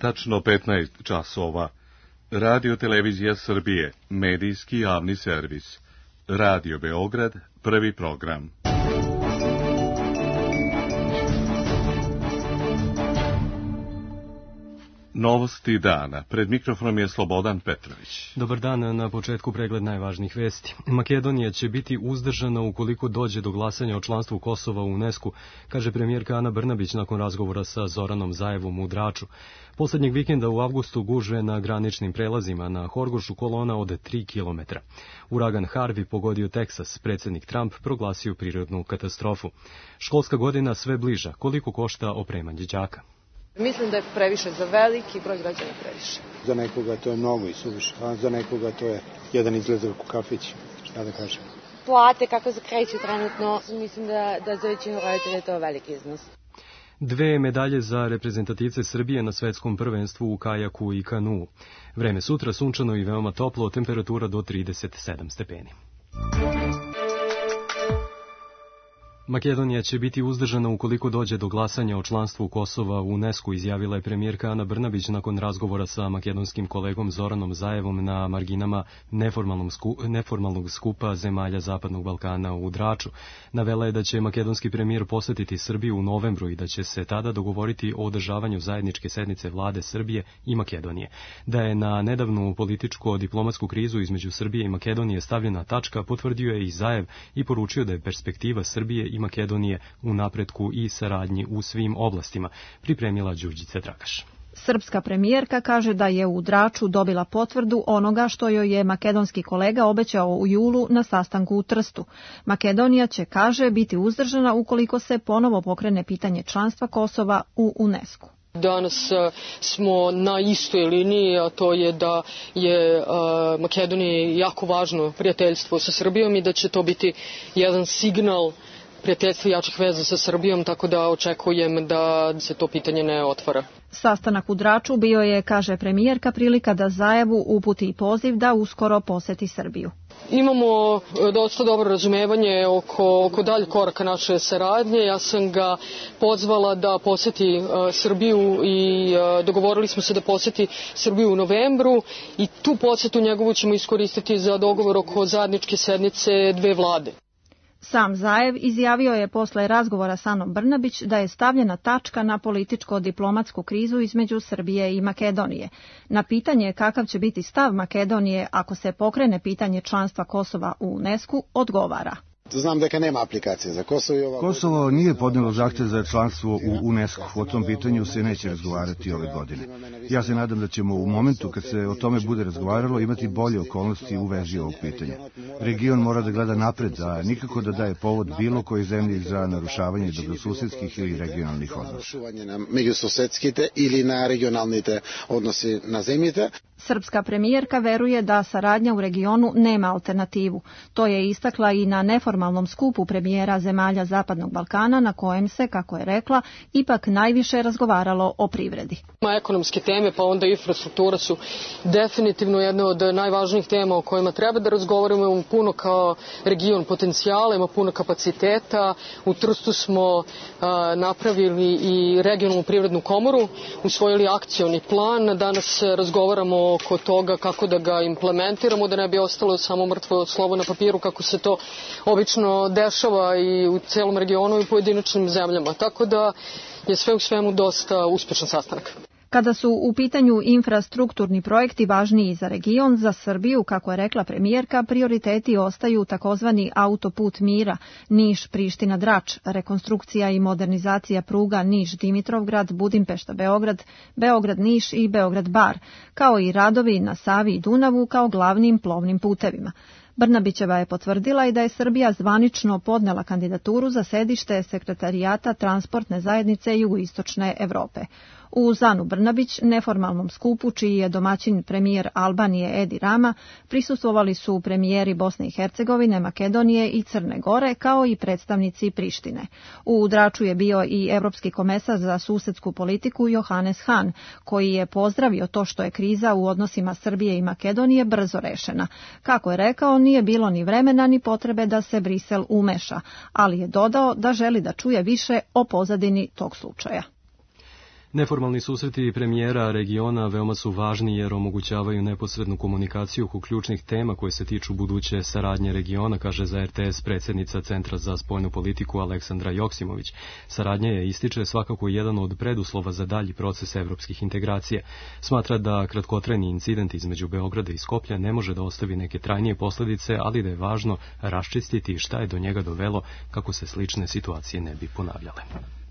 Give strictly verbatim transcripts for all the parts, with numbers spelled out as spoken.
tačno petnaest časova. Radio Televizija Srbije, medijski javni servis. Radio Beograd, prvi program. Novosti dana. Pred mikrofonom je Slobodan Petrović. Dobar dan, na početku pregled najvažnijih vesti. Makedonija će biti uzdržana ukoliko dođe do glasanja o članstvu Kosova u UNESCO, kaže premijerka Ana Brnabić nakon razgovora sa Zoranom Zaevom u Draču. Poslednjeg vikenda u avgustu gužve na graničnim prelazima na Horgošu kolona od tri kilometra. Uragan Harvey pogodio Teksas, predsjednik Trump proglasio prirodnu katastrofu. Školska godina sve bliža, koliko košta opremanje đaka? Mislim da je previše za veliki broj građana previše. Za nekoga to je mnogo i suviše, a za nekoga to je jedan izlazak u kafić, šta da kažem. Plate kako se kreću trenutno, mislim da, da za većinu roditelja je to veliki iznos. Dve medalje za reprezentativce Srbije na svetskom prvenstvu u kajaku i kanuu. Vreme sutra sunčano i veoma toplo, temperatura do trideset sedam stepeni. Makedonija će biti uzdržana ukoliko dođe do glasanja o članstvu Kosova u UNESCO, izjavila je premijerka Ana Brnabić nakon razgovora sa makedonskim kolegom Zoranom Zaevom na marginama neformalnog skupa zemalja Zapadnog Balkana u Draču. Navela je da će makedonski premijer posetiti Srbiju u novembru i da će se tada dogovoriti o održavanju zajedničke sednice vlade Srbije i Makedonije. Da je na nedavnu političko-diplomatsku krizu između Srbije i Makedonije stavljena tačka, potvrdio je i Zaev i poručio da je perspektiva Srbije i Makedonije u napretku i saradnji u svim oblastima, pripremila Đurđica Dragaš. Srpska premijerka kaže da je u Draču dobila potvrdu onoga što joj je makedonski kolega obećao u julu na sastanku u Trstu. Makedonija će, kaže, biti uzdržana ukoliko se ponovo pokrene pitanje članstva Kosova u UNESCO. Danas smo na istoj liniji, a to je da je Makedoniji jako važno prijateljstvo sa Srbijom i da će to biti jedan signal prijateljstva i jačih veza sa Srbijom, tako da očekujem da se to pitanje ne otvara. Sastanak u Draču bio je, kaže premijerka, prilika da Zaevu uputi poziv da uskoro poseti Srbiju. Imamo dosta dobro razumevanje oko, oko dalje koraka naše saradnje. Ja sam ga pozvala da poseti uh, Srbiju i uh, dogovorili smo se da poseti Srbiju u novembru i tu posetu njegovu ćemo iskoristiti za dogovor oko zajedničke sednice dve vlade. Sam Zaev izjavio je posle razgovora sa Anom Brnabić da je stavljena tačka na političko-diplomatsku krizu između Srbije i Makedonije. Na pitanje kakav će biti stav Makedonije ako se pokrene pitanje članstva Kosova u UNESCO, odgovara. Znam da nema aplikacije za Kosovo i ova... Kosovo nije podnelo zahtev za članstvo u UNESCO. O tom pitanju se neće razgovarati ove godine. Ja se nadam da ćemo u momentu kad se o tome bude razgovaralo imati bolje okolnosti u vezi ovog pitanja. Region mora da gleda napred, a nikako da daje povod bilo koji zemlji za narušavanje dobrosusedskih ili regionalnih odnosa. Na međususedskite ili na regionalnite odnosi na zemljite. Srpska premijerka veruje da saradnja u regionu nema alternativu. To je istakla i na neformalnom skupu premijera zemalja Zapadnog Balkana, na kojem se, kako je rekla, ipak najviše razgovaralo o privredi. Ekonomske teme, pa onda infrastruktura su definitivno jedna od najvažnijih tema o kojima treba da razgovaramo. Imamo puno kao region potencijala, ima puno kapaciteta. U Trstu smo a, napravili i regionalnu privrednu komoru, usvojili akcioni plan. Danas razgovaramo oko toga kako da ga implementiramo, da ne bi ostalo samo mrtvo slovo na papiru, kako se to obično dešava i u celom regionu i pojedinačnim zemljama. Tako da je sve u svemu dosta uspešan sastanak. Kada su u pitanju infrastrukturni projekti važniji za region, za Srbiju, kako je rekla premijerka, prioriteti ostaju takozvani autoput mira, Niš-Priština-Drač, rekonstrukcija i modernizacija pruga Niš-Dimitrovgrad, Budimpešta-Beograd, Beograd-Niš i Beograd-Bar, kao i radovi na Savi i Dunavu kao glavnim plovnim putevima. Brnabićeva je potvrdila i da je Srbija zvanično podnela kandidaturu za sedište Sekretarijata transportne zajednice Jugoistočne Evrope. U Anu Brnabić, neformalnom skupu, čiji je domaćin premijer Albanije Edi Rama, prisustvovali su premijeri Bosne i Hercegovine, Makedonije i Crne Gore, kao i predstavnici Prištine. U Draču je bio i evropski komesar za susedsku politiku Johannes Hahn, koji je pozdravio to što je kriza u odnosima Srbije i Makedonije brzo rešena. Kako je rekao, nije bilo ni vremena ni potrebe da se Brisel umeša, ali je dodao da želi da čuje više o pozadini tog slučaja. Neformalni susreti premijera regiona veoma su važni jer omogućavaju neposrednu komunikaciju oko ključnih tema koje se tiču buduće saradnje regiona, kaže za R T S predsjednica Centra za spoljnu politiku Aleksandra Joksimović. Saradnja je, ističe, svakako jedan od preduslova za dalji proces evropskih integracija. Smatra da kratkotrajni incident između Beograda i Skoplja ne može da ostavi neke trajnije posljedice, ali da je važno raščistiti šta je do njega dovelo kako se slične situacije ne bi ponavljale.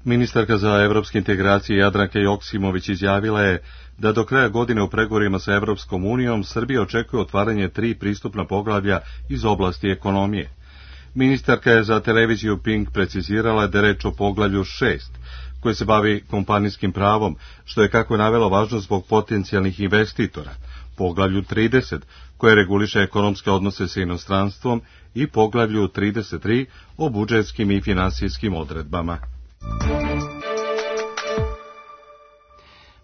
Ministarka za evropske integracije Jadranka Joksimović izjavila je da do kraja godine u pregovorima sa Evropskom unijom Srbija očekuje otvaranje tri pristupna poglavlja iz oblasti ekonomije. Ministarka je za televiziju Pink precizirala da je reč o poglavlju šest, koje se bavi kompanijskim pravom, što je, kako je navela, važno zbog potencijalnih investitora, poglavlju trideset, koje reguliše ekonomske odnose sa inostranstvom, i poglavlju trideset tri o budžetskim i finansijskim odredbama.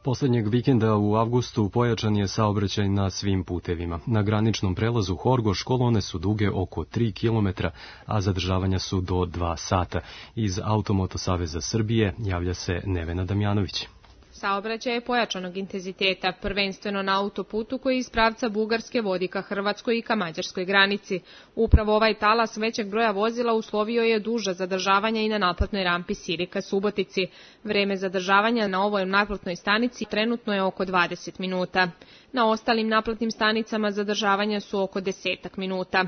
Poslednjeg vikenda u avgustu pojačan je saobraćaj na svim putevima. Na graničnom prelazu Horgoš kolone su duge oko tri kilometra, a zadržavanja su do dva sata. Iz Automoto saveza Srbije javlja se Nevena Damjanović. Saobraćaj je pojačanog intenziteta, prvenstveno na autoputu koji iz pravca Bugarske vodi ka Hrvatskoj i ka mađarskoj granici. Upravo ovaj talas većeg broja vozila uslovio je duža zadržavanja i na naplatnoj rampi Siri ka Subotici. Vreme zadržavanja na ovoj naplatnoj stanici trenutno je oko dvadeset minuta. Na ostalim naplatnim stanicama zadržavanja su oko desetak minuta.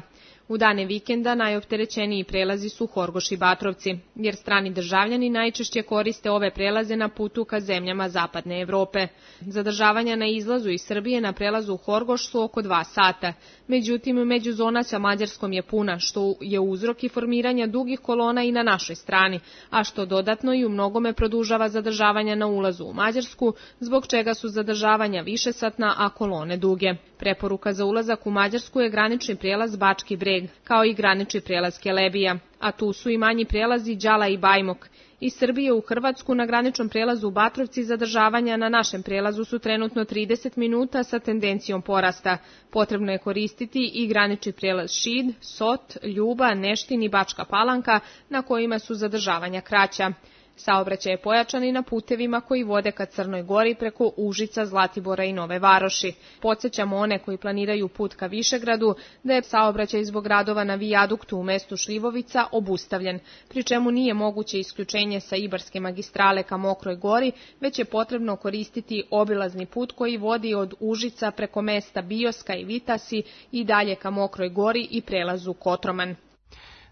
U dane vikenda najopterećeniji prelazi su Horgoš i Batrovci, jer strani državljani najčešće koriste ove prelaze na putu ka zemljama zapadne Evrope. Zadržavanja na izlazu iz Srbije na prelazu Horgoš su oko dva sata. Međutim, međuzona sa Mađarskom je puna, što je uzrok i formiranja dugih kolona i na našoj strani, a što dodatno i u mnogome produžava zadržavanja na ulazu u Mađarsku, zbog čega su zadržavanja višesatna, a kolone duge. Preporuka za ulazak u Mađarsku je granični prijelaz Bački Breg, kao i granični prijelaz Kelebija, a tu su i manji prijelazi Đala i Bajmok. Iz Srbije u Hrvatsku na graničnom prijelazu u Batrovci zadržavanja na našem prijelazu su trenutno trideset minuta sa tendencijom porasta. Potrebno je koristiti i granični prijelaz Šid, Sot, Ljuba, Neštin i Bačka Palanka, na kojima su zadržavanja kraća. Saobraćaj je pojačan i na putevima koji vode ka Crnoj Gori preko Užica, Zlatibora i Nove Varoši. Podsjećamo one koji planiraju put ka Višegradu da je saobraćaj zbog radova na vijaduktu u mestu Šljivovica obustavljen, pri čemu nije moguće isključenje sa Ibarske magistrale ka Mokroj Gori, već je potrebno koristiti obilazni put koji vodi od Užica preko mesta Bioska i Vitasi i dalje ka Mokroj Gori i prelazu Kotroman.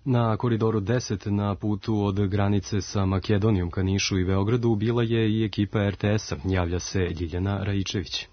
Na koridoru deset na putu od granice sa Makedonijom ka Nišu i Beogradu bila je i ekipa R T S-a, javlja se Ljiljana Rajičević.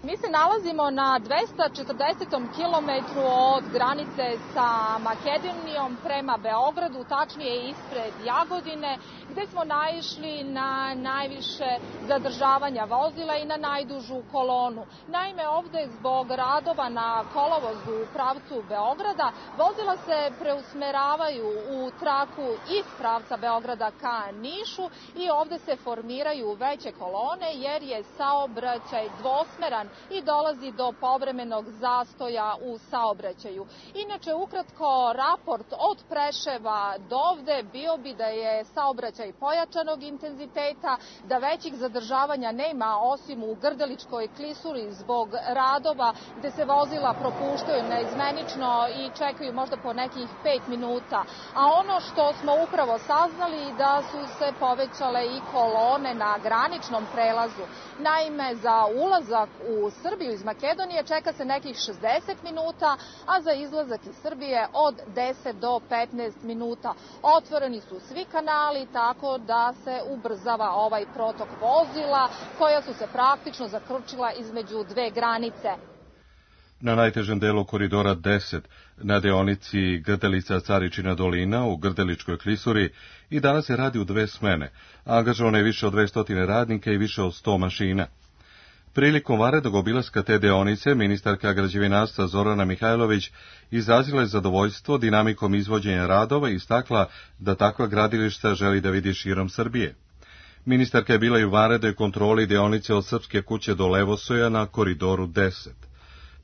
Mi se nalazimo na dvesta četrdesetom kilometru od granice sa Makedonijom prema Beogradu, tačnije ispred Jagodine, gde smo naišli na najviše zadržavanja vozila i na najdužu kolonu. Naime, ovde zbog radova na kolovozu u pravcu Beograda, vozila se preusmeravaju u traku iz pravca Beograda ka Nišu i ovde se formiraju veće kolone jer je saobraćaj dvosmeran i dolazi do povremenog zastoja u saobraćaju. Inače, ukratko, raport od Preševa do ovde bio bi da je saobraćaj pojačanog intenziteta, da većih zadržavanja nema osim u Grdeličkoj klisuri zbog radova gde se vozila propuštaju neizmenično i čekaju možda po nekih pet minuta. A ono što smo upravo saznali da su se povećale i kolone na graničnom prelazu. Naime, za ulazak u Srbiju iz Makedonije čeka se nekih šezdeset minuta, a za izlazak iz Srbije od deset do petnaest minuta. Otvoreni su svi kanali tako da se ubrzava ovaj protok vozila koja su se praktično zakrčila između dve granice. Na najtežem delu koridora deset, na deonici Grdelica-Caričina dolina u Grdeličkoj klisuri, i danas se radi u dve smene. Angažovano je više od dvesta radnika i više od sto mašina. Prilikom vanrednog obilaska te deonice, ministarka građevinarstva Zorana Mihajlović izrazila je zadovoljstvo dinamikom izvođenja radova i istakla da takva gradilišta želi da vidi širom Srbije. Ministarka je bila i u vanrednoj kontroli deonice od Srpske kuće do Levosoja na koridoru deset.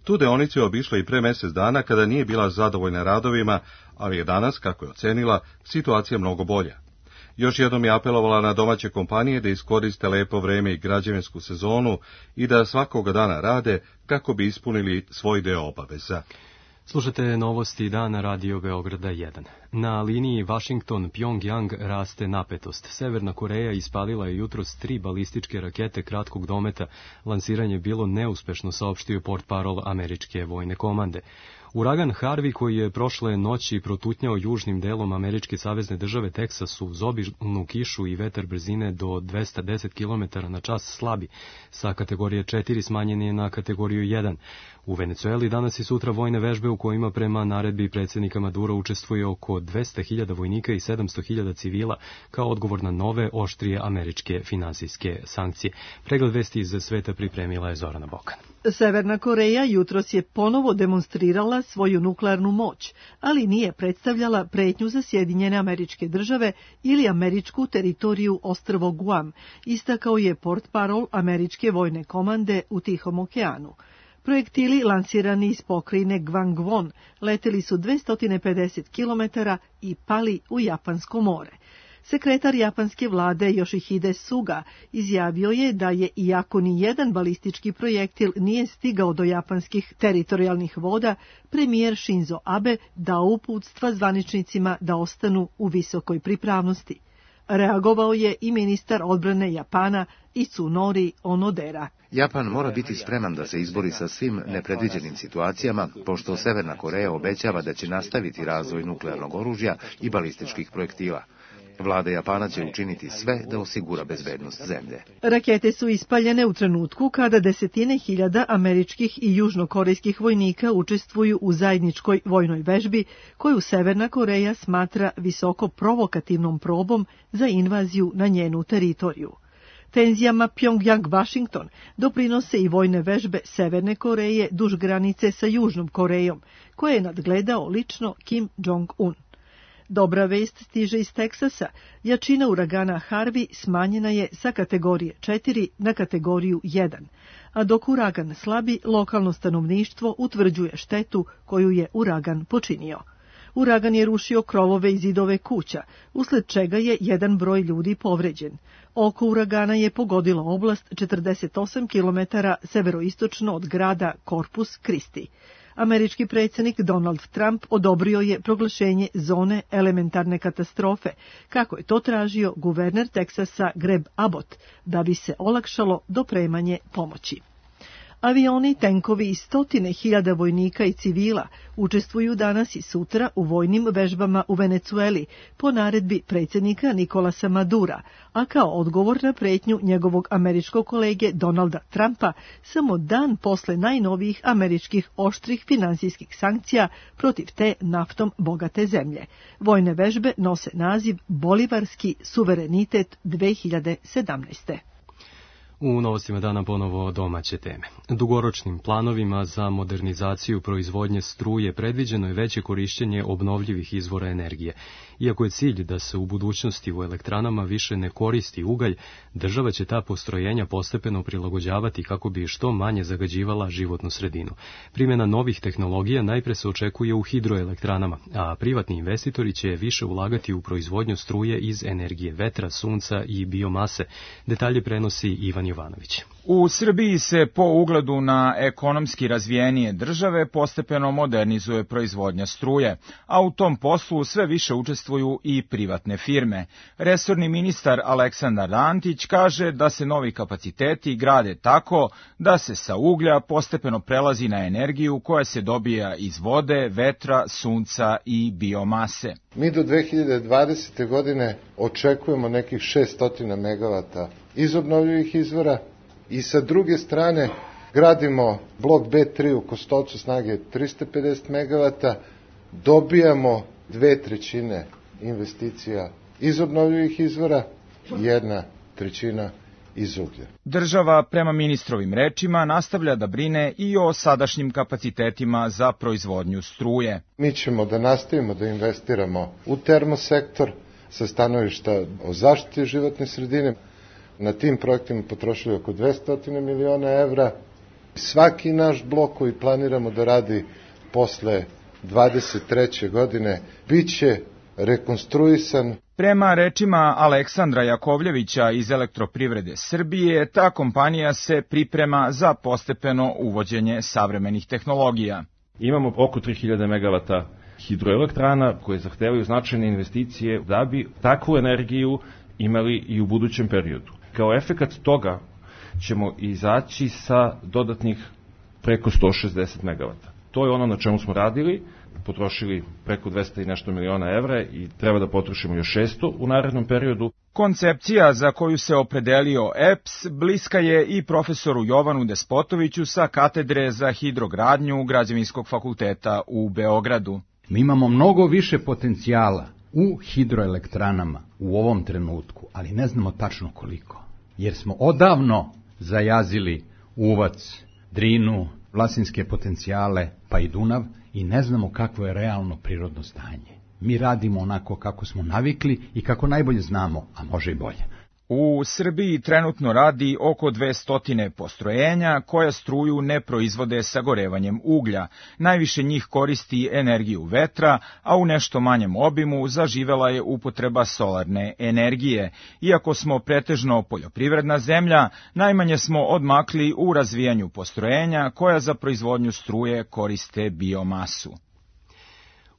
Tu deonicu je obišla i pre mesec dana kada nije bila zadovoljna radovima, ali je danas, kako je ocenila, situacija mnogo bolja. Još jednom je apelovala na domaće kompanije da iskoriste lepo vreme i građevinsku sezonu i da svakoga dana rade kako bi ispunili svoj deo obaveza. Slušate novosti dana Radio Beograda jedan. Na liniji Washington-Pyongyang raste napetost. Severna Koreja ispalila je jutros tri balističke rakete kratkog dometa. Lansiranje je bilo neuspešno, saopštio portparol američke vojne komande. Uragan Harvey, koji je prošle noći protutnjao južnim delom američke savezne države Teksas uz obilnu kišu i vetar brzine do dvesta deset kilometara na čas slabi, sa kategorije četiri smanjen je na kategoriju jedan. U Venecueli danas i sutra vojne vežbe u kojima prema naredbi predsjednika Madura učestvuje oko dvesta hiljada vojnika i sedamsto hiljada civila kao odgovor na nove, oštrije američke finansijske sankcije. Pregled vesti iz sveta pripremila je Zorana Bokan. Severna Koreja jutros je ponovo demonstrirala svoju nuklearnu moć, ali nije predstavljala pretnju za Sjedinjene Američke Države ili američku teritoriju ostrvo Guam, istakao je portparol američke vojne komande u Tihom okeanu. Projektili lansirani iz pokrajine Gangwon leteli su dvesta pedeset kilometara i pali u Japansko more. Sekretar japanske vlade Yoshihide Suga izjavio je da je, iako ni jedan balistički projektil nije stigao do japanskih teritorijalnih voda, premijer Shinzo Abe dao uputstva zvaničnicima da ostanu u visokoj pripravnosti. Reagovao je i ministar odbrane Japana Itsunori Onodera. Japan mora biti spreman da se izbori sa svim nepredviđenim situacijama, pošto Severna Koreja obećava da će nastaviti razvoj nuklearnog oružja i balističkih projektila. Vlada Japana će učiniti sve da osigura bezbednost zemlje. Rakete su ispaljene u trenutku kada desetine hiljada američkih i južnokorejskih vojnika učestvuju u zajedničkoj vojnoj vežbi koju Severna Koreja smatra visoko provokativnom probom za invaziju na njenu teritoriju. Tenzijama Pyongyang-Washington doprinose i vojne vežbe Severne Koreje duž granice sa Južnom Korejom, koje je nadgledao lično Kim Jong-un. Dobra vest stiže iz Teksasa. Jačina uragana Harvey smanjena je sa kategorije četiri na kategoriju jedan, a dok uragan slabi, lokalno stanovništvo utvrđuje štetu koju je uragan počinio. Uragan je rušio krovove i zidove kuća, usled čega je jedan broj ljudi povređen. Oko uragana je pogodilo oblast četrdeset osam kilometara severoistočno od grada Corpus Christi. Američki predsjednik Donald Trump odobrio je proglašenje zone elementarne katastrofe, kako je to tražio guverner Teksasa Greg Abbott, da bi se olakšalo dopremanje pomoći. Avioni, tenkovi i stotine hiljada vojnika i civila učestvuju danas i sutra u vojnim vežbama u Venecueli po naredbi predsjednika Nikolasa Madura, a kao odgovor na pretnju njegovog američkog kolege Donalda Trumpa samo dan posle najnovijih američkih oštrih finansijskih sankcija protiv te naftom bogate zemlje. Vojne vežbe nose naziv Bolivarski suverenitet dve hiljade sedamnaeste. U novostima dana ponovo domaće teme. Dugoročnim planovima za modernizaciju proizvodnje struje predviđeno je veće korišćenje obnovljivih izvora energije. Iako je cilj da se u budućnosti u elektranama više ne koristi ugalj, država će ta postrojenja postepeno prilagođavati kako bi što manje zagađivala životnu sredinu. Primjena novih tehnologija najpre se očekuje u hidroelektranama, a privatni investitori će više ulagati u proizvodnju struje iz energije vetra, sunca i biomase. Detalje prenosi Ivan Jovanović. U Srbiji se po ugledu na ekonomski razvijenije države postepeno modernizuje proizvodnja struje, a u tom poslu sve više učestvuju i privatne firme. Resorni ministar Aleksandar Antić kaže da se novi kapaciteti grade tako da se sa uglja postepeno prelazi na energiju koja se dobija iz vode, vetra, sunca i biomase. Mi do dve hiljade dvadesete. godine očekujemo nekih šessto megavata iz obnovljivih izvora i sa druge strane gradimo blok B tri u Kostolcu snage trista pedeset megavata, dobijamo dve trećine investicija iz obnovljivih izvora, jedna trećina iz uglja. Država, prema ministrovim rečima, nastavlja da brine i o sadašnjim kapacitetima za proizvodnju struje. Mi ćemo da nastavimo da investiramo u termosektor sa stanovišta o zaštiti životne sredine. Na tim projektima potrošili oko dvesta miliona evra. Svaki naš blok koji planiramo da radi posle dvadeset treće. godine biće rekonstruisan. Prema rečima Aleksandra Jakovljevića iz Elektroprivrede Srbije, ta kompanija se priprema za postepeno uvođenje savremenih tehnologija. Imamo oko tri hiljade megavata hidroelektrana koje zahtevaju značajne investicije da bi takvu energiju imali i u budućem periodu. Kao efekat toga ćemo izaći sa dodatnih preko sto šezdeset megavata. To je ono na čemu smo radili, potrošili preko dvesta i nešto miliona evra i treba da potrošimo još šesto u narednom periodu. Koncepcija za koju se opredelio E P S bliska je i profesoru Jovanu Despotoviću sa katedre za hidrogradnju Građevinskog fakulteta u Beogradu. Mi imamo mnogo više potencijala u hidroelektranama u ovom trenutku, ali ne znamo tačno koliko, jer smo odavno zajazili Uvac, Drinu, Vlasinske potencijale, pa i Dunav, i ne znamo kakvo je realno prirodno stanje. Mi radimo onako kako smo navikli i kako najbolje znamo, a može i bolje. U Srbiji trenutno radi oko dvesta postrojenja koja struju ne proizvode sagorevanjem uglja. Najviše njih koristi energiju vetra, a u nešto manjem obimu zaživela je upotreba solarne energije. Iako smo pretežno poljoprivredna zemlja, najmanje smo odmakli u razvijanju postrojenja koja za proizvodnju struje koriste biomasu.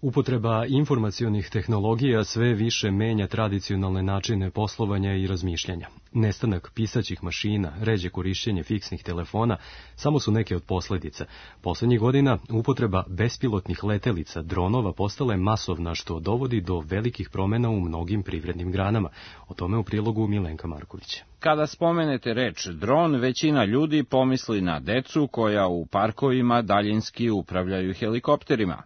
Upotreba informacionih tehnologija sve više menja tradicionalne načine poslovanja i razmišljanja. Nestanak pisaćih mašina, ređe korišćenje fiksnih telefona samo su neke od posledica. Poslednjih godina upotreba bespilotnih letelica, dronova, postala je masovna, što dovodi do velikih promena u mnogim privrednim granama. O tome u prilogu Milenka Marković. Kada spomenete reč dron, većina ljudi pomisli na decu koja u parkovima daljinski upravljaju helikopterima.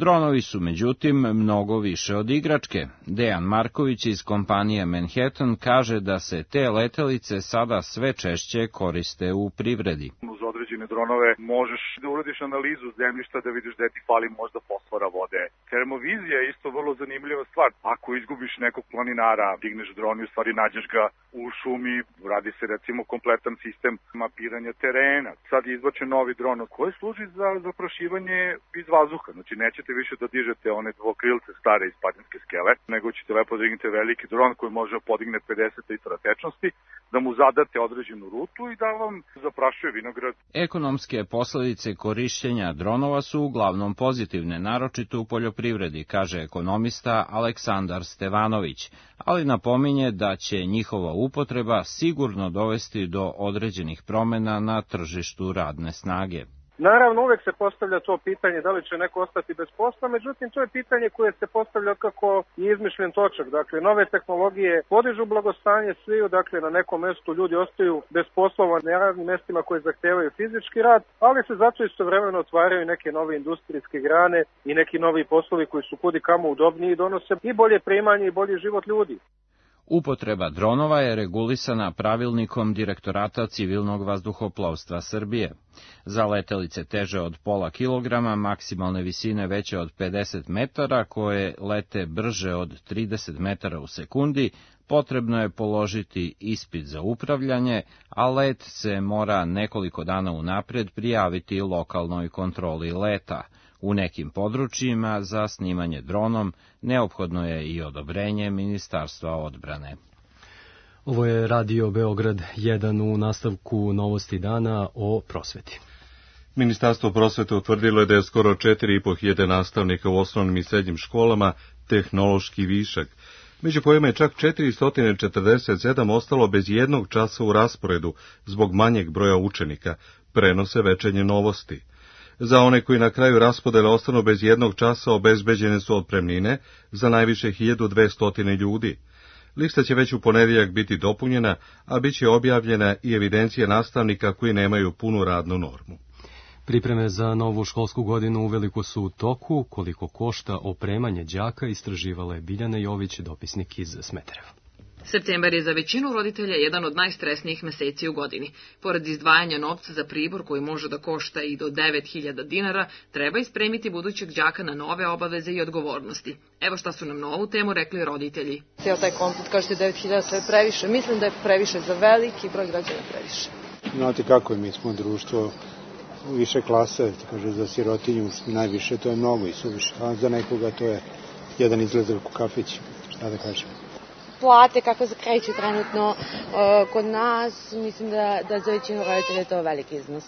Dronovi su, međutim, mnogo više od igračke. Dejan Marković iz kompanije Manhattan kaže da se te letelice sada sve češće koriste u privredi. Uz određene dronove možeš da uradiš analizu zemljišta da vidiš gde ti fali možda fosfora vode. Termovizija je isto vrlo zanimljiva stvar. Ako izgubiš nekog planinara, digneš dron i u stvari nađeš ga u šumi, radi se recimo kompletan sistem mapiranja terena. Sad je izbačen novi dron koji služi za zaprašivanje iz vazduha. Znači nećete više da dižete one dvokrilce stare iz padinske skele, nego ćete lepo dignete veliki dron koji može podigne pedeset litara tečnosti, da mu zadate određenu rutu i da vam zaprašuje vinograd. Ekonomske posledice korišćenja dronova su uglavnom pozitivne, naročito u poljoprivredi, kaže ekonomista Aleksandar Stevanović, ali napominje da će njihova upotreba sigurno dovesti do određenih promena na tržištu radne snage. Naravno, uvek se postavlja to pitanje da li će neko ostati bez posla, međutim, to je pitanje koje se postavlja kako je izmišljen točak. Dakle, nove tehnologije podižu blagostanje sviju, dakle, na nekom mestu ljudi ostaju bez poslova na radnim mestima koje zahtevaju fizički rad, ali se zato istovremeno otvaraju neke nove industrijske grane i neki novi poslovi koji su kudi kamo udobniji i donose i bolje primanje i bolji život ljudi. Upotreba dronova je regulisana pravilnikom Direktorata civilnog vazduhoplovstva Srbije. Za letelice teže od pola kilograma, maksimalne visine veće od pedeset metara, koje lete brže od trideset metara u sekundi, potrebno je položiti ispit za upravljanje, a let se mora nekoliko dana unapred prijaviti lokalnoj kontroli leta. U nekim područjima za snimanje dronom neophodno je i odobrenje Ministarstva odbrane. Ovo je Radio Beograd jedan, u nastavku novosti dana o prosveti. Ministarstvo prosvete utvrdilo je da je skoro četiri i po hiljade nastavnika u osnovnim i srednjim školama tehnološki višak, među kojima je čak četiristo četrdeset sedam ostalo bez jednog časa u rasporedu zbog manjeg broja učenika, prenose Večernje novosti. Za one koji na kraju raspodele ostanu bez jednog časa obezbeđene su otpremnine za najviše hiljadu dvesta ljudi. Lista će već u ponedeljak biti dopunjena, a bit će objavljena i evidencija nastavnika koji nemaju punu radnu normu. Pripreme za novu školsku godinu uveliko su u toku. Koliko košta opremanje đaka, istraživala je Biljana Jović, dopisnik iz Smedereva. Septembar je za većinu roditelja jedan od najstresnijih meseci u godini. Pored izdvajanja novca za pribor koji može da košta i do devet hiljada dinara, treba ispremiti budućeg đaka na nove obaveze i odgovornosti. Evo šta su nam na ovu temu rekli roditelji. Cijel taj komplet, kažete devet hiljada, to je previše. Mislim da je previše za veliki broj građana previše. Znate kako je, mi smo društvo više klase, kaže za sirotinju najviše, to je mnogo i suviše, a za nekoga to je jedan izlazak u kafić, šta da kažem. Plate kako se kreću trenutno uh, kod nas, mislim da, da za većinu roditelja je to veliki iznos.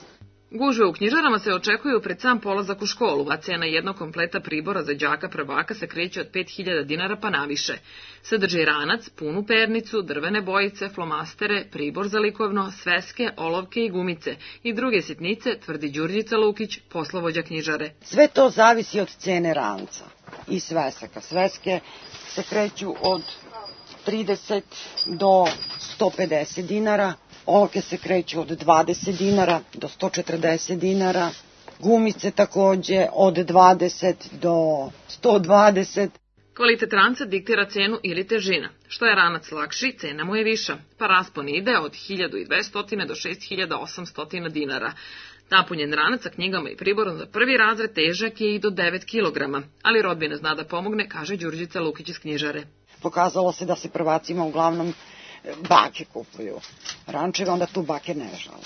Gužve u knjižarama se očekuju pred sam polazak u školu, a cena jednog kompleta pribora za đaka prvaka se kreće od pet hiljada dinara pa naviše. Sadrži ranac, punu pernicu, drvene bojice, flomastere, pribor za likovno, sveske, olovke i gumice i druge sitnice, tvrdi Đurđica Lukić, poslovođa knjižare. Sve to zavisi od cene ranca i svesaka. Sveske se kreću od trideset do sto pedeset dinara, olovke se kreću od dvadeset dinara do sto četrdeset dinara, gumice takođe od dvadeset do sto dvadeset. Kvalitet ranca diktira cenu ili težina. Što je ranac lakši, cena mu je viša, pa raspon ide od hiljadu dvesta do šest hiljada osamsto dinara. Napunjen ranac sa knjigama i priborom za prvi razred težak je i do devet kilograma, ali rodbina zna da pomogne, kaže Đurđica Lukić iz knjižare. Pokazalo se da se prvacima uglavnom bake kupuju rančeve, onda tu bake ne žale.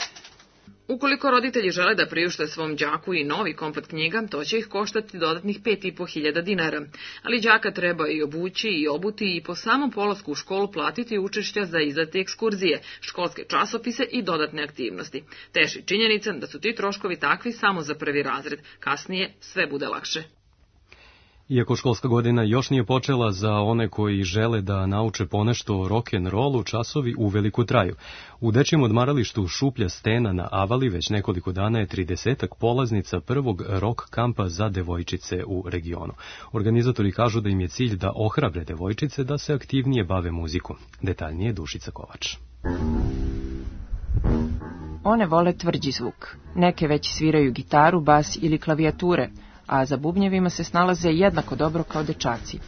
Ukoliko roditelji žele da priušte svom đaku i novi komplet knjiga, to će ih koštati dodatnih pet i po hiljada dinara. Ali đaka treba i obući i obuti i po samom polasku u školu platiti učešća za izlete ekskurzije, školske časopise i dodatne aktivnosti. Teši činjenica da su ti troškovi takvi samo za prvi razred. Kasnije sve bude lakše. Iako školska godina još nije počela, za one koji žele da nauče ponešto o rock'n'rollu, časovi uveliko traju. U dečijem odmaralištu Šuplja stena na Avali već nekoliko dana je tridesetak polaznica prvog rock kampa za devojčice u regionu. Organizatori kažu da im je cilj da ohrabre devojčice da se aktivnije bave muzikom. Detaljnije Dušica Kovač. One vole tvrđi zvuk. Neke već sviraju gitaru, bas ili klavijature, a za bubnjevima se snalaze jednako dobro kao dečaci.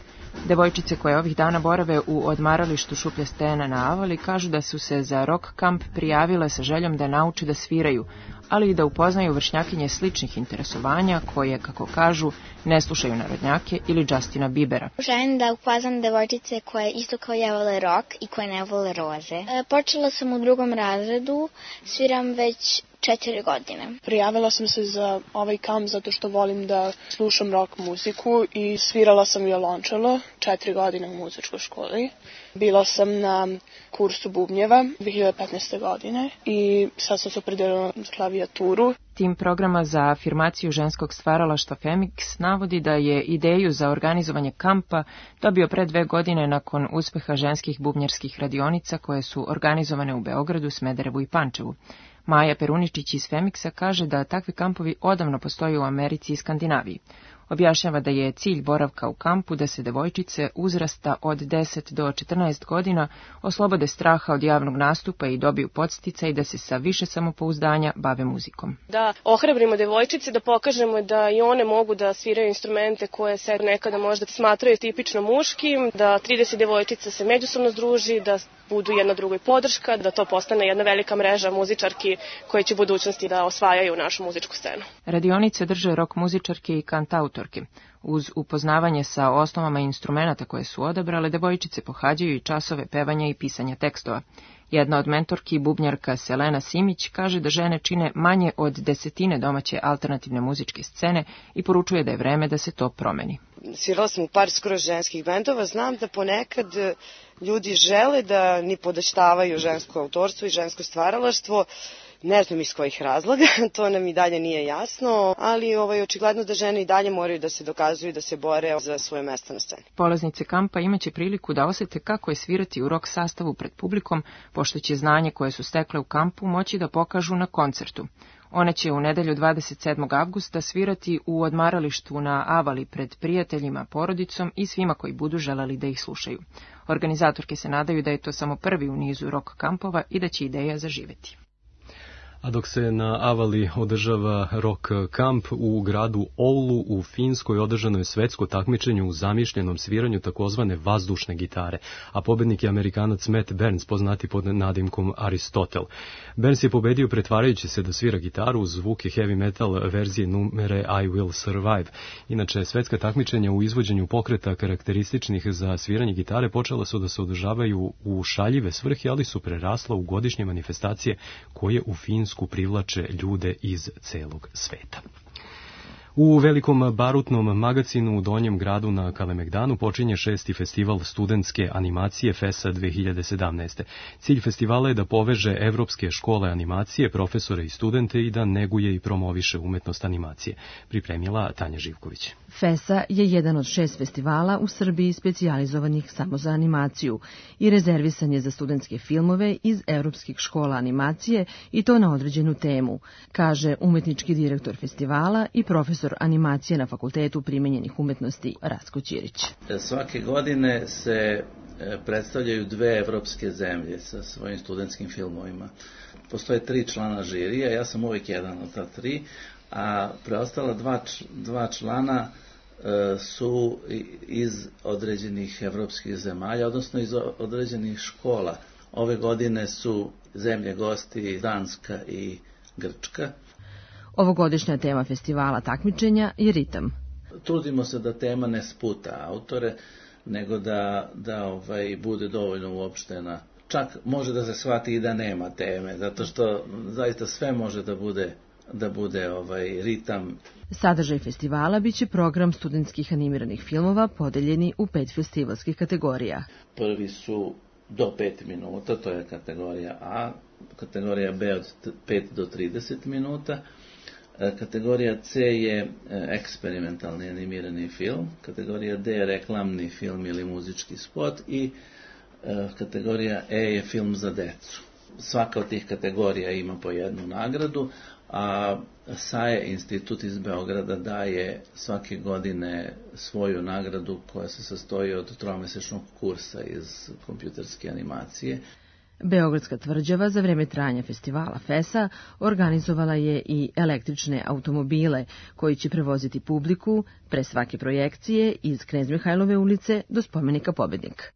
Devojčice koje ovih dana borave u odmaralištu Šuplja stena na Avali kažu da su se za rock kamp prijavile sa željom da nauče da sviraju, ali i da upoznaju vršnjakinje sličnih interesovanja koje, kako kažu, ne slušaju narodnjake ili Justina Biebera. Želim da upoznam devojčice koje isto kao ja vole rock i koje ne vole roze. E, počela sam u drugom razredu, sviram već četiri godine. Prijavila sam se za ovaj kamp zato što volim da slušam rock muziku i svirala sam violončelo četiri godine u muzičkoj školi. Bila sam na kursu bubnjeva dve hiljade petnaeste. godine i sad sam se opredelila za klavijaturu. Tim programa za afirmaciju ženskog stvaralaštva Femix navodi da je ideju za organizovanje kampa dobio pre dve godine nakon uspeha ženskih bubnjarskih radionica koje su organizovane u Beogradu, Smederevu i Pančevu. Maja Peruničić iz Femixa kaže da takvi kampovi odavno postoje u Americi i Skandinaviji. Objašnjava da je cilj boravka u kampu da se devojčice uzrasta od deset do četrnaest godina oslobode straha od javnog nastupa i dobiju podsticaj da se sa više samopouzdanja bave muzikom. Da ohrabrimo devojčice, da pokažemo da i one mogu da sviraju instrumente koje se nekada možda smatraju tipično muškim, da trideset devojčica se međusobno združi, da budu jedna drugoj podrška, da to postane jedna velika mreža muzičarki koje će u budućnosti da osvajaju našu muzičku scenu. Radionice drže rock muzičarke i kantautorke. Uz upoznavanje sa osnovama instrumenata koje su odabrale, devojčice pohađaju i časove pevanja i pisanja tekstova. Jedna od mentorki, bubnjarka Selena Simić, kaže da žene čine manje od desetine domaće alternativne muzičke scene i poručuje da je vreme da se to promeni. Svirala sam u par skoro ženskih bendova, znam da ponekad ljudi žele da ni podaštavaju žensko autorstvo i žensko stvaralaštvo, ne znam iz kojih razloga, to nam i dalje nije jasno, ali ovaj, očigledno da žene i dalje moraju da se dokazuju i da se bore za svoje mesto na sceni. Polaznice kampa imaće priliku da osete kako je svirati u rock sastavu pred publikom, pošto će znanje koje su stekle u kampu moći da pokažu na koncertu. One će u nedelju dvadeset sedmog avgusta svirati u odmaralištu na Avali pred prijateljima, porodicom i svima koji budu želeli da ih slušaju. Organizatorke se nadaju da je to samo prvi u nizu rock kampova i da će ideja zaživeti. A dok se na Avali održava rock kamp, u gradu Oulu u Finskoj održano je svetsko takmičenje u zamišljenom sviranju takozvane vazdušne gitare, a pobednik je Amerikanac Matt Burns, poznati pod nadimkom Aristotel. Burns je pobedio pretvarajući se da svira gitaru uz zvuke heavy metal verzije numere I Will Survive. Inače, svetska takmičenja u izvođenju pokreta karakterističnih za sviranje gitare počela su da se održavaju u šaljive svrhe, ali su prerasla u godišnje manifestacije koje u Finsku privlače ljude iz celog sveta. U velikom barutnom magacinu u Donjem gradu na Kalemegdanu počinje šesti festival studentske animacije FESA dve hiljade sedamnaeste. Cilj festivala je da poveže evropske škole animacije, profesore i studente i da neguje i promoviše umetnost animacije. Pripremila Tanja Živković. FESA je jedan od šest festivala u Srbiji specijalizovanih samo za animaciju i rezervisan je za studentske filmove iz evropskih škola animacije i to na određenu temu, kaže umetnički direktor festivala i profesor animacije na Fakultetu primenjenih umetnosti Rastko Ćirić. Svake godine se predstavljaju dve evropske zemlje sa svojim studentskim filmovima. Postoje tri člana žirija, ja sam uvijek jedan od ta tri, a preostala dva, dva člana su iz određenih evropskih zemalja, odnosno iz određenih škola. Ove godine su zemlje gosti Danska i Grčka. Ovogodišnja tema festivala takmičenja je ritam. Trudimo se da tema ne sputa autore, nego da, da ovaj, bude dovoljno uopštena. Čak može da se shvati i da nema teme, zato što zaista sve može da bude, da bude ovaj, ritam. Sadržaj festivala biće program studentskih animiranih filmova podeljeni u pet festivalskih kategorija. Prvi su do pet minuta, to je kategorija A, kategorija B od pet do trideset minuta, kategorija C je eksperimentalni animirani film, kategorija D je reklamni film ili muzički spot i kategorija E je film za decu. Svaka od tih kategorija ima po jednu nagradu, a S A E institut iz Beograda daje svake godine svoju nagradu koja se sastoji od tromesečnog kursa iz kompjuterske animacije. Beogradska tvrđava za vreme trajanja festivala FESA organizovala je i električne automobile koji će prevoziti publiku pre svake projekcije iz Knez Mihajlove ulice do spomenika Pobednik.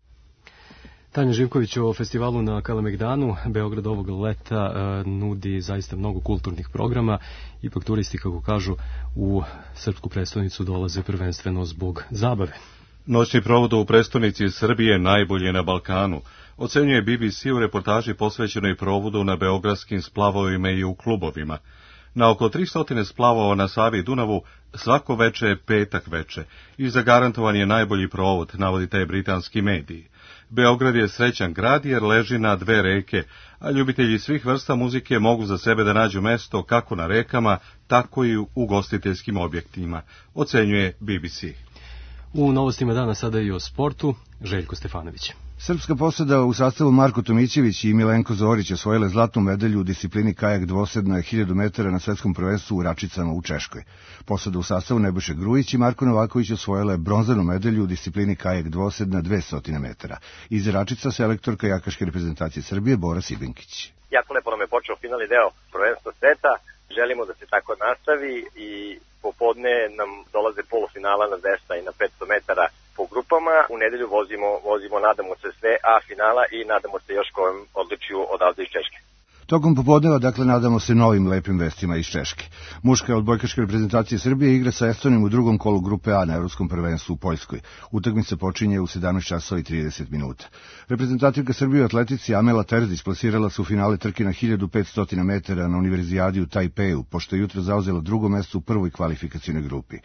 Tanja Živković o festivalu na Kalemegdanu. Beograd ovog leta e, nudi zaista mnogo kulturnih programa. Ipak turisti, kako kažu, u srpsku prestonicu dolaze prvenstveno zbog zabave. Noćni provod u prestonici Srbije najbolje na Balkanu, ocenjuje B B C u reportaži posvećenoj provodu na beogradskim splavovima i u klubovima. Na oko tristo splavova na Savi i Dunavu svako veče je petak veče i zagarantovan je najbolji provod, navodi taj britanski mediji. Beograd je srećan grad jer leži na dve reke, a ljubitelji svih vrsta muzike mogu za sebe da nađu mesto kako na rekama, tako i u ugostiteljskim objektima, ocenjuje B B C. U novostima dana sada i o sportu, Željko Stefanović. Srpska posada u sastavu Marko Tomićević i Milenko Zorić osvojile zlatnu medalju u disciplini kajak dvosedna na hiljadu metara na svetskom prvenstvu u Račicama u Češkoj. Posada u sastavu Nebojša Grujić i Marko Novaković osvojile bronzanu medalju u disciplini kajak dvosedna dvesta metara. Iz Račica selektor kajakaške reprezentacije Srbije Bora Sibinkić. Jako lepo nam je počeo finalni deo prvenstva sveta. Želimo da se tako nastavi i popodne nam dolaze polufinala na dvesta i na petsto metara po grupama. U nedelju vozimo, vozimo nadamo se sve A finala i nadamo se još kojem odličiju odavde iz Češke. Tokom popodneva, dakle, nadamo se novim lepim vestima iz Češke. Muška odbojkaška reprezentacija Srbije igra sa Estonijom u drugom kolu grupe A na Evropskom prvenstvu u Poljskoj. Utakmica počinje u sedamnaest časova i trideset minuta. Reprezentativka Srbije u atletici Amela Terzić plasirala se u finale trke na hiljadu petsto metara na Univerzijadi u Tajpeju, pošto je jutro zauzela drugo mesto u prvoj kvalifikacijnoj grupi.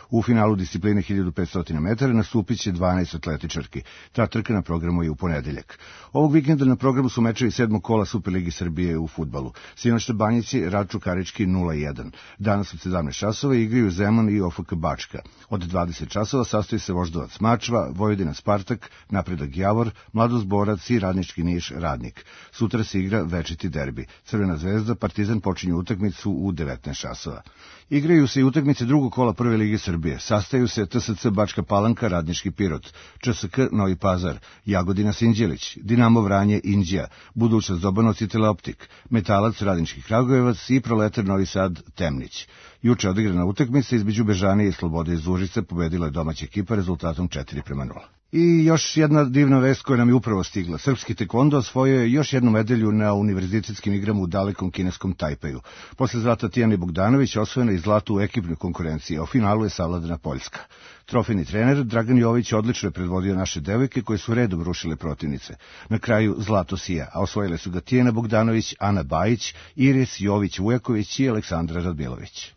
U finalu discipline hiljadu petsto metara nastupit će dvanaest atletičarki. Ta trka na programu je u ponedeljak. Ovog vikenda na programu su mečevi sedmog kola Superligi Srbije u fudbalu. Sinoć na Banjici Raču Karički nula jedan. Danas od sedamnaest časova igraju Zemun i O F K Bačka. Od dvadeset časova sastoji se Voždovac Mačva, Vojvodina Spartak, Napredak Javor, Mladost Borac i Radnički Niš Radnik. Sutra se igra večiti derbi. Crvena zvezda Partizan počinju utakmicu u devetnaest časova. Igraju se i utakmice drugog kola Prve lige Srbije. Sastaju se T S C Bačka Palanka, Radnički Pirot, Č S K Novi Pazar, Jagodina Sinđelić, Dinamo Vranje Inđija, Budućnost Dobanovci Teleoptik, Metalac Radnički Kragujevac i Proletar Novi Sad Temnić. Juče odigrana utakmica između Bežanije i Slobode iz Užice pobedila je domaća ekipa rezultatom četiri prema nula. I još jedna divna vest koja nam je upravo stigla. Srpski tekvondo osvojio je još jednu medalju na univerzitetskim igrama u dalekom kineskom Tajpeju. Posle zlata Tijane Bogdanović osvojena i zlato u ekipnoj konkurenciji, a u finalu je savladana Poljska. Trofejni trener Dragan Jović odlično je predvodio naše devojke koje su redom rušile protivnice. Na kraju zlato sija, a osvojile su ga Tijana Bogdanović, Ana Bajić, Iris Jović Vujaković i Aleksandra Radmilović.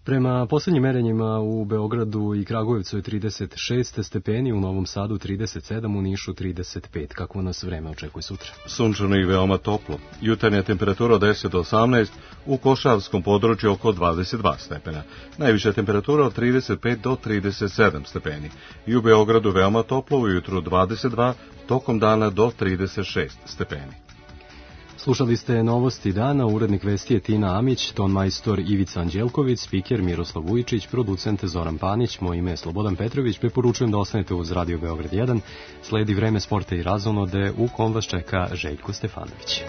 Prema posljednjim merenjima u Beogradu i Kragujevcu je trideset šest stepeni, u Novom Sadu trideset sedam, u Nišu trideset pet. Kako nas vreme očekuje sutra? Sunčano i veoma toplo. Jutarnja temperatura od deset do osamnaest, u Košavskom području oko dvadeset dva stepena. Najviša temperatura od trideset pet do trideset sedam stepeni. I u Beogradu veoma toplo, ujutru dvadeset dva, tokom dana do trideset šest stepeni. Slušali ste novosti dana, urednik vesti je Tina Amić, ton majstor Ivica Anđelković, spiker Miroslav Vujičić, producent Zoran Panić, moje ime je Slobodan Petrović, preporučujem da ostanete uz Radio Beograd jedan, sledi vreme sporta i razonode u kom vas čeka Željko Stefanović.